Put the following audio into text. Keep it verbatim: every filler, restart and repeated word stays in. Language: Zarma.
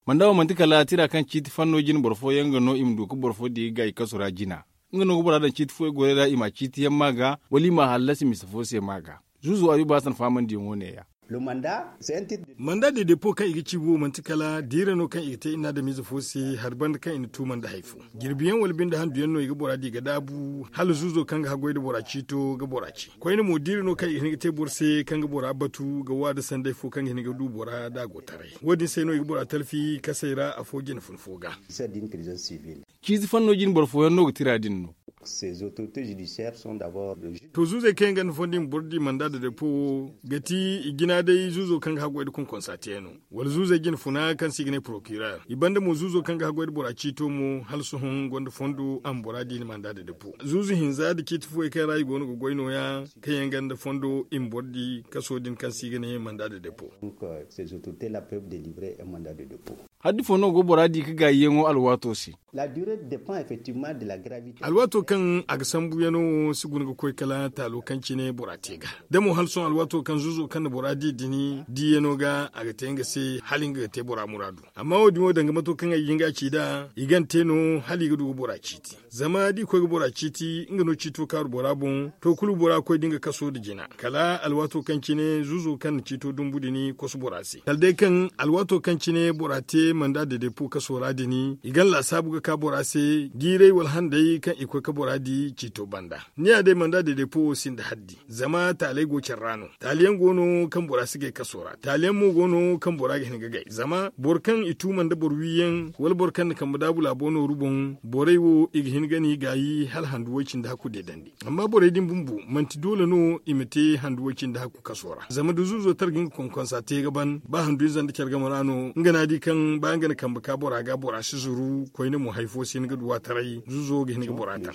Manda wo manti kala tira kaŋ ciiti fanno jine boro fooyaŋ ga no i ma du ga boro fo di ga i kaso ra jina. Nga no ga bora daŋ ciiti fooyaŋ goray ra i ma a ciiti yaŋ ma ga, wala i ma a hallasi mise fo se ma ga. Zuuzo ayuba hasan faamandiyaŋo ne- ya. Manda de depo kaŋ i ga ci wo manti kala diira no kaŋ i ga te i na adamize fo se hari banda kaŋ i na tuuma nda hari fo. Jirbi yaŋ wala binde handu yaŋ no i ga bora di ga daabu hala zuuzo kaŋ ga haggoy nda bora ciito ga bora ci. Koyne mo diira no kaŋ i ga hin ga te boro se kaŋ ga bora batu ga waada sanday fo kaŋ ga hin ga du bora da a go taray. Wo- din se no i ga bora talfi kasey ra afo jine fun fo ga. Ciiti fanno jine boro fooyaŋ no ga tira din no. To zuuzey kaŋ yaŋ gonda fondo i ma boro di manda da depo wo, ga ti i jina day zuuzo kaŋ ga haggoy nda konkonsa te no. Wala zuuzey jine funa kaŋ se i ga ne porokirer i banda mo zuuzo kaŋ ga haggoy nda bora ciito mo hala sohõ gonda fondo a ma bora di ni manda da depo zuuzu hinza nda ciiti fooyaŋ kaŋ ra i go no ga goy no- ya, kaŋ yaŋ gonda fondo i ma boro di kaso din kaŋ se i ga ne manda da depo. Haddi fo no go bora di ga gaayiyaŋo alwaato se. Alwaato kaŋ a ga sambu yaŋo wo si guna ga koy kala taalo kaŋ cine bora te ga. Da mo hala sohõ alwaato kaŋ zuuzo kaŋ na bora di din diyaŋo ga a ga te nga se hala nga ga te bora muraadu. Amma wo- din wo danga mato kaŋ ay ga hin ga a ci nd'a i gana te no hala i ga du ga bora ciiti. Zama da i koy ga bora ciiti nga no ciito kaaru bora boŋ, to kulu bora koy da nga kaso nda jina kala alwaato kaŋ cine zuuzo kaŋ na ciito dumbu din kosu bora se kala day kaŋ alwaato kaŋ cine bora te manda da depo kaso ra din i gana laasaabu ga ka bora se jiiray wala handay kaŋ i koy ga bora di ciito banda. Ni ya day manda da depo wo sinda haddi zama taaley go care ra no. Taali yaŋ go no kaŋ bora si gay kaso ra taali yaŋ mo go no kaŋ bora ga hin ga gay zama boro kaŋ i tuuma nda boro wiiyaŋ wala boro kaŋ na kambe daabu laabo nooru boŋ borey wo i ga hin ga no i gaayi hala handu way- cindi hakku deedandi. Amma borey din bumbo manti doole no i ma te handu way- cindi hakku kaso ra zama da zuuzo tara ga nga konkonsa te ga ban ba handu ize nda care game ra no nga no a di kaŋ ba nga na kambe ka bora ga bora si zuru koyne mo hari fo si hin ga duw'a taray zuuzo ga hin ga bora ta.